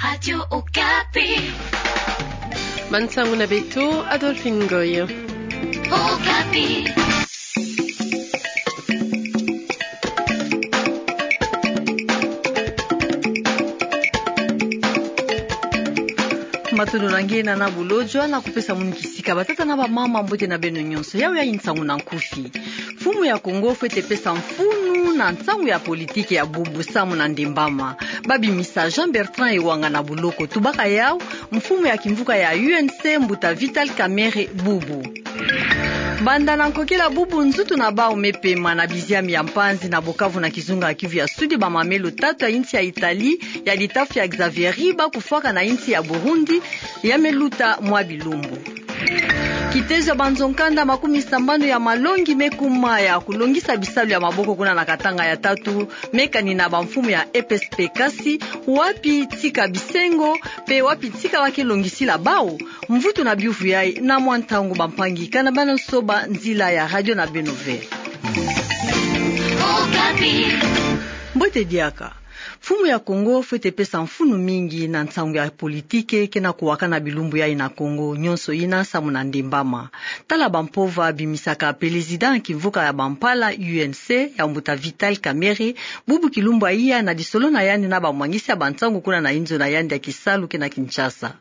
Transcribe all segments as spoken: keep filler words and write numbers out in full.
Radio Okapi. Bansangu na beto, Adolphine Ngoy. Okapi. Matondo na nge na na bulojwa na kupesa munu kisika batata na bamama, mbote na beno nyonso. Yawe ya nsangu na nkufi. Mfumu ya Kongo fwete pesa mfunu na nsangu ya politike ya bubu samu na ndembama. Babimisa Jean Bertrand Ewanga na buloko. Tubaka yau, mfumu ya kimvuka ya U N C, mbuta Vital Kamerhe bubu. Banda na nkokila bubu, nzutu na bau me pema na biziami ya mpanzi na Bukavu na kizunga Kivu ya Sudi, bamamelo tatu ya insi ya Italie, ya litafi ya Xavieri, bakufwaka na insi ya Burundi, ya me luta mwa bilumbu. Kitezo ya banzo nkanda makumi sambanu ya malongi me kuma ya kulongisa bisalu ya maboko kuna na Katanga ya tatu, me kani na bamfumu ya E P S P. Kasi wapi tika bisengo, pe wapi tika ba ke longisila bau? Mvutu na biuvu yai na mwa ntangu, bampangi, kana bana soba nzila ya radio na beno ve. Okapi. Mbote diaka. Mfumu ya Kongo fwete pesa mfunu mingi na nsangu ya politike ke na kuwakana bilumbu yai na Kongo nyonso ina samu na ndembama. Tala bampova bimisaka pelezida kimvuka ya bampala U N C, ya mbuta Vital Kamerhe, bubu kilumbu ya iya, na lisolo na yandi na bamwangisi ya bansangu kuna na inzo na yandi ya kisalu ke na Kinshasa.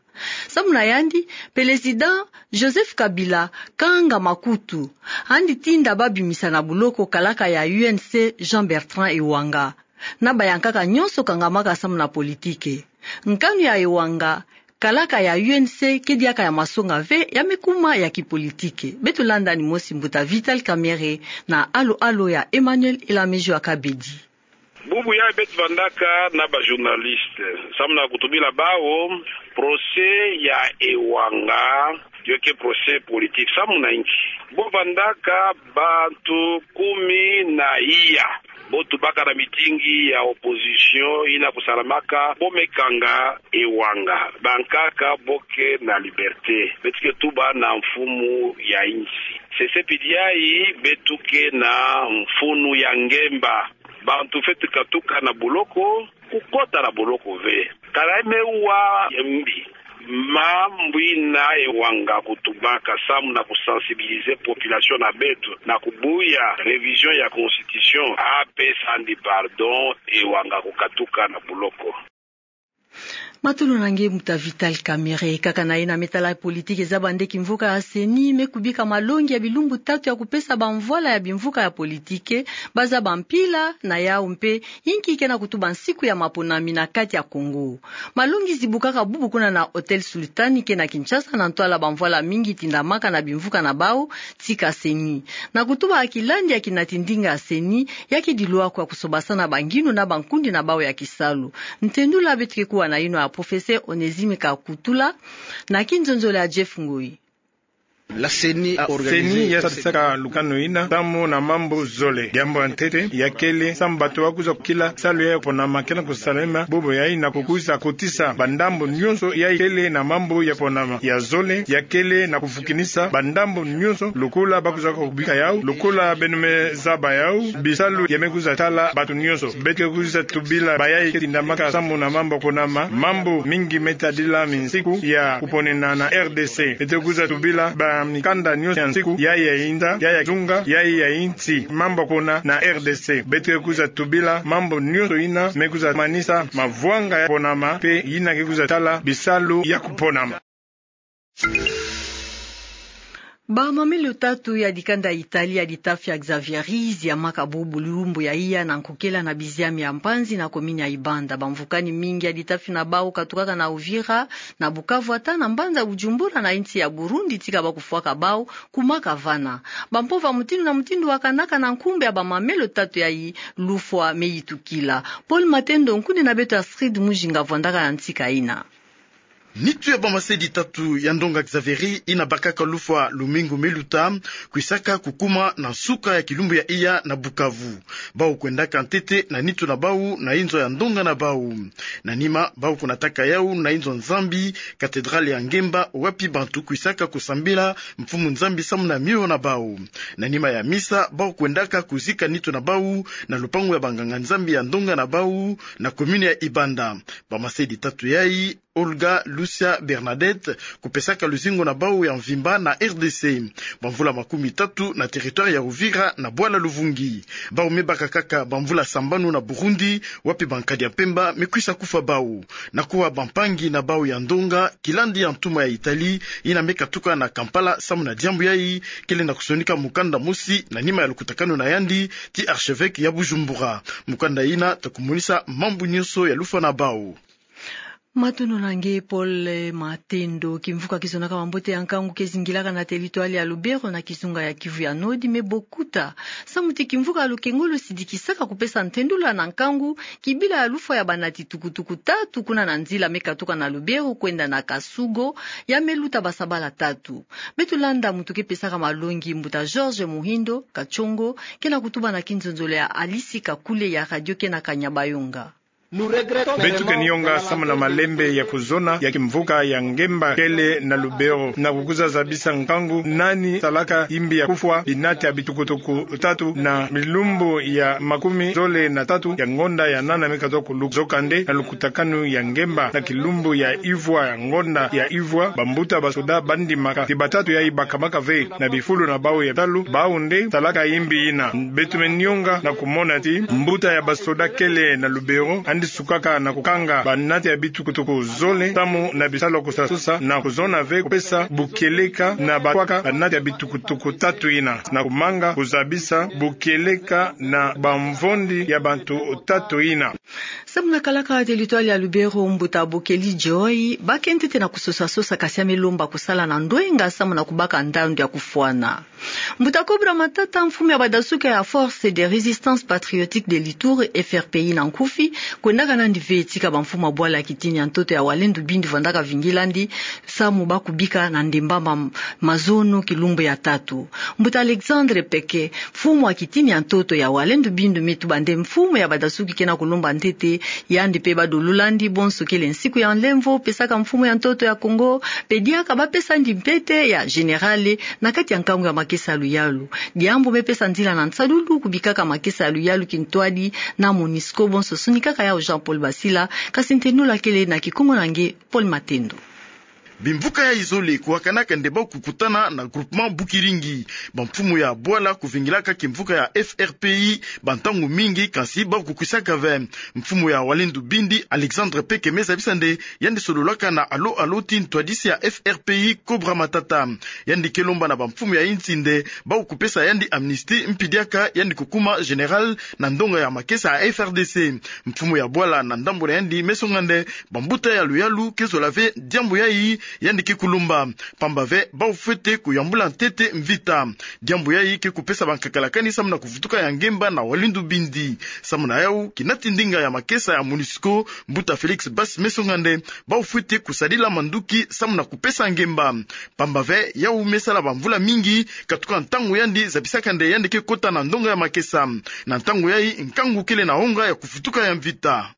Samu na yandi, pelezida Joseph Kabila kanga makutu, andi tinda babimisa na buloko kalaka ya U N C Jean Bertrand Ewanga. Na bayankaka nyonso kangamaka samu na politike. Nkanu ya Ewanga, kalaka ya U N C ke diaka ya masonga ve, ya me kuma ya kipolitike. Beto landa ni mosi mbuta Vital Kamerhe na alo-alo ya Emmanuel Elamejo Akabedi. Bubu yai beto vandaka na ba journaliste, samu na kutubila bau, procès ya Ewanga, yo ke procès politique. Samu na inki? Bo vandaka bantu kumi na iya bo tubaka na mitingi ya opposition ina kusalamaka, bo me kanga Ewanga, bankaka bo ke na liberté. Beto ke tuba na mfumu ya insi. Sese pidi yai beto ke na mfunu ya ngemba. Bantu fwete katuka na buloko, kukota na buloko ve. Kala me wa ya mbi. Mambu ina Ewanga kutubaka samu na kusensibiliser population na beto na kubuya révision ya constitution, apesa andi pardon, Ewanga kukatuka na buloko. Matondo na nge mbuta Vital Kamerhe. Kaka na ina me tala politike, zaba nde kimvuka ya CENI me kubika malongi ya bilumbu tatu ya kupesa bamvwala ya bimvuka ya politike, bazaba mpila na yau mpe inki ke na kutuba nsiku ya maponami na kati ya Kongo. Malongi zibukaka bubu kuna na Hôtel Sultan ke na Kinshasa, na ntwala bamvwala mingi tindamaka na bimvuka na bau tika CENI. Na kutuba ya kilandi ya kinati ndinga ya CENI, ya ke dilwakwa kusobasana banginu na bankundi na bau ya kisalu. Ntendula beto ke kuwa na yino ya professeur Onésime Kakutula, na kinzonzolo ya Jeff Ngoi. La CENI a organisé. CENI ya sadisaka lukanu ina samu na mambu zole. Diambu ya ntete, ya kele, samu bato ba kwiza kukila salu ya ponama ke na kusalema, bubu yai na kukwiza kotisa bandambu nyonso ya kele na mambu ya ponama. Ya zole, ya kele na kufukinisa bandambu nyonso, lokola ba kwiza kubika yau, lokola beno me zaba yau, bisalu ya me kwiza tala bato nyonso. Beto ke kwiza tubila bayai ke tindamaka samu na mambu ya ponama, mambu mingi me tadila minsiku ya kuponena na R D C. Beto ke kwiza tubila bamikanda nyonso ya nsiku, ya ya inda, ya ya zunga, ya ya insi, mambu ya pona na R D C. Beto ke kwiza tubila mambu nyonso ina me kwiza manisa mavwanga ya ponama, mpe ina ke kwiza tala bisalu ya kuponama. Bamamelo tatu ya dikanda Italie ya ditafi ya Xavieri ziamaka bubu lumbu ya iya na nkokila na biziami ya mpanzi na komini ya Ibanda. Bamvukani mingi ya ditafi na bau katukaka na Uvira, na Bukavu ata na mbanza Bujumbura na insi ya Burundi tika ba kufwaka bau kumaka vana. Bampova mutindu na mutindu wakanaka na nkumbu ya bamamelo tatu yai, lufwa me yitukila. Paul Matendo, nkundi na beto Astrid Mujinga vwandaka na ntika ina. Nitu ya bamasedi tatu ya ndonga Xavieri ina bakaka lufwa lumingu meluta, kwisaka kukuma na nsuka ya kilumbu ya iya na Bukavu. Bau kwendaka ntete na nitu na bau na inzo ya ndonga na bau. Na nima, bau kunataka yau na inzo Nzambi, katedrale ya Ngemba, wapi bantu kwisaka kusambila Mfumu Nzambi samu na mio na bau. Na nima ya misa, bau kwendaka kuzika nitu na bau na lupangu ya banganga-Nzambi ya ndonga na bau, na komini ya Ibanda. Bamasedi tatu yai, Olga, Lucia, Bernadette, kupesaka luzingu na bau ya mvimba na R D C. Bamvula makumi tatu na territoire ya Uvira na bwala Luvungi. Bau me baka kaka bamvula sambanu na Burundi, wapi bankadi ya mpemba me kwisa kufwa bau. Na kuwa bampangi na bau ya ndonga, kilandi ya ntuma ya Italie ina me katuka na Kampala samu na diambu yai, kele na kusonika mukanda mosi na nima ya lukutakanu na yandi ti archevêque ya Bujumbura. Mukanda ina ta kumonisa mambu nyonso ya lufwa na bau. Matondo na nge Paul Matendo. Kimvuka kizonaka mambote ya nkangu ke zingilaka na territoire ya Lubero na kizunga ya Kivu ya Nord me bokuta. Samu ti kimvuka, lukengolo sidikisaka kupesa ntendula na nkangu kibila ya lufwa ya banati tukutuku tatu kuna na nzila me katuka na Lubero kwenda na Kasugo, ya me luta basabala tatu. Beto landa muntu ke pesaka malongi, Mbuta George Muhindo Kachongo, ke na kutuba na kinzonzolo ya Alice Kakule ya Radio Kena Kanyabayonga. Beto ke nionga samu na malembe ya kuzona ya kimvuka ya Ngemba kele na Lubero, na kukwiza zabisa nkangu nani salaka imbi ya kufwa binati ya bitukutuku tatu na bilumbu ya makumi zole na tatu ya ngonda ya nana me katuka kuluka. Nzokande, na lukutakanu ya Ngemba na kilumbu ya ivwa ya ngonda ya ivwa, bambuta basoda bandimaka ti batatu yai bakamaka ve na bifulu na bau ya talu, bau nde salaka imbi ina. Beto me nionga na kumona ti mbuta ya basoda kele na Lubero andi sukaka na kukanga banati ya bitukutuku zole samu na bisalu kusasosa, na kuzona ve kupesa bukieleka na bakwaka banati ya bitukutuku tatu ina, na kumanga kuzabisa bukieleka na bamvondi ya bantu tatu ina. Samu na kalaka territoire ya Lubero, Mbuta Bokeli Joy, ba ke ntete na kusosasosa, kasi ya me lomba kusala na ndwenga samu na kubaka ndandu ya kufwana. Mbuta Cobra Matata, mfumu ya badasuki ya Force de Résistance Patriotique de l'Ituri, F R P I na nkufi, kwendaka nandi ve tika bamfumu ya bwala ya kitini ya ntoto ya Walendu Bindi vandaka vingilandi, samu ba kubika na ndemba ma-, mazono kilumbu ya tatu. Mbuta Alexandre Peke, mfumu ya kitini ya ntoto ya Walendu Bindi, me tuba nde mfumu ya badasuki ke na kulomba ntete, yandi pe ba dololandi bonso kele nsiku ya nlemvo, pesaka mfumu ya ntoto ya Kongo, pe diaka ba pesandi mpete ya général na kati ya nkangu ya makesa ya luyalu. Diambu me pesa nzila na nsalulu kubikaka makesa ya luyalu kintwadi na MONUSCO, bonso sonikaka yau Jean-Paul Basila, kasi ntendula kele na Kikongo na nge Paul Matendo. Bimvuka yai zole kuwakanaka nde bau kukutana na groupement Bukiringi. Bamfumu ya bwala kuvingilaka kimvuka ya F R P I bantangu mingi, kasi bau kukwisaka ve. Mfumu ya Walendu Bindi, Alexandre Peke, me zabisa nde yandi sololaka na alo alo ti ntwadisi ya F R P I, Cobra Matata. Yandi ke lomba na bamfumu ya insi nde bau kupesa yandi amnistie mpi diaka yandi kukuma général na ndonga ya makesa ya F R D C. Mfumu ya bwala na ndambu na yandi me songa nde bambuta ya luyalu ke zola ve diambu yai yandi ke kulomba. Pamba ve bau fwete kuyambula ntete mvita. Diambu yai ke kupesa bankakalakani samu na kuvutuka ya Ngemba na Walendu Bindi. Samu na yau, kinati ndinga ya makesa ya MONUSCO, mbuta Félix Basse, me songa nde bau fwete kusadila manduki samu na kupesa Ngemba. Pamba ve yau me sala bamvula mingi, katuka ntangu yandi zabisaka nde yandi ke kota na ndonga ya makesa. Na ntangu yai, nkangu kele na onga ya kuvutuka ya mvita.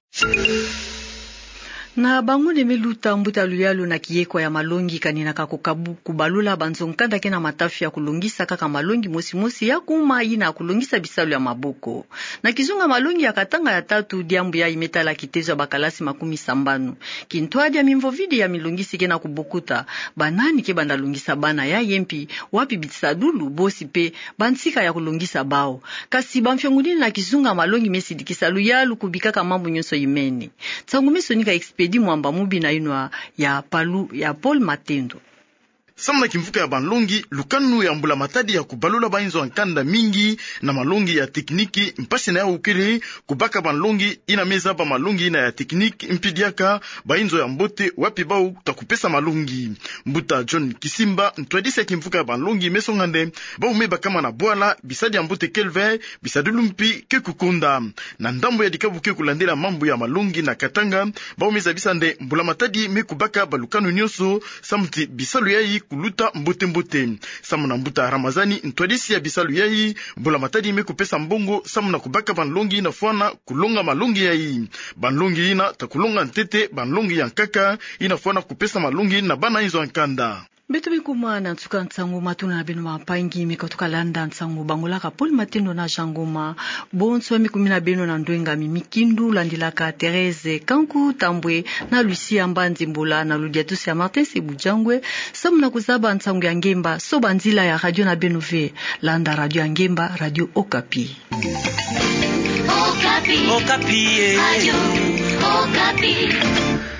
Na bangunde me luta, mbuta luyalu na kiekwa ya malongi kaninaka kukabu-, kubalula banzo-nkanda ke na matafi ya kulongisa kaka malongi mosi mosi ya kuma yina kulongisa bisalu ya maboko. Na kizunga malongi ya Katanga ya tatu, diambu yai me tala kitezo ya bakalasi makumi sambanu. Kintwadi ya mimvovidi ya milongisi ke na kubokuta. Banani ke banda longisa bana yai, mpi wapi bisadulu, bosi pe bansika ya kulongisa bau. Kasi bamfiongunini na kizunga malongi me sidikisa luyalu kubikaka mambu nyonso imene. Nsangu me sonika Expédit Mwamba Mubi na yinwa ya palu ya Paul Matendo. Samu na kimvuka ya banlongi, lukanu ya mbula matadi ya kubalula bainzo ya nkanda mingi na malongi ya tekiniki, mpasi na yau kele kubaka banlongi ina me zaba malongi ina ya tekiniki, mpi diaka bainzo ya mbote wapi bau ta kupesa malongi. Mbuta John Kisimba, ntwadisi ya kimvuka ya banlongi, me songa nde bau me bakama na bwala bisadi ya mbote kelve, bisadulu mpi ke kukonda. Na ndambu ya dikabu ke kulandila mambu ya malongi na Katanga, bau me zabisa nde mbula matadi me kubaka balukanu nyonso, samu ti bisalu yayi kuluta mbote-mbote. Samu na mbuta Ramazani, ntwadisi ya bisalu yayi, mbula matadi me kupesa mbongo samu na kubaka banlongi ina fwana kulonga malongi yayi. Banlongi ina ta kulonga ntete banlongi ya nkaka, ina fwana kupesa malongi na bana inzo ya nkanda. Beto me kuma na nsuka nsangu, matuna na beno bampangi me katuka landa nsangu bangolaka Paul Matendo na Jean Ngoma. Bonso, me kumina beno na ndwenga mi mikindu, landilaka Thérèse Kanku Tambwe na Lucia Mbanzi Mbola na ludiatusi ya Martin Sebujangwe, samu na kuzaba nsangu ya ngemba so banzila ya radio na beno ve. Landa radio ya ngemba, Radio Okapi. Okapi. Okapi, eh. Radio Okapi.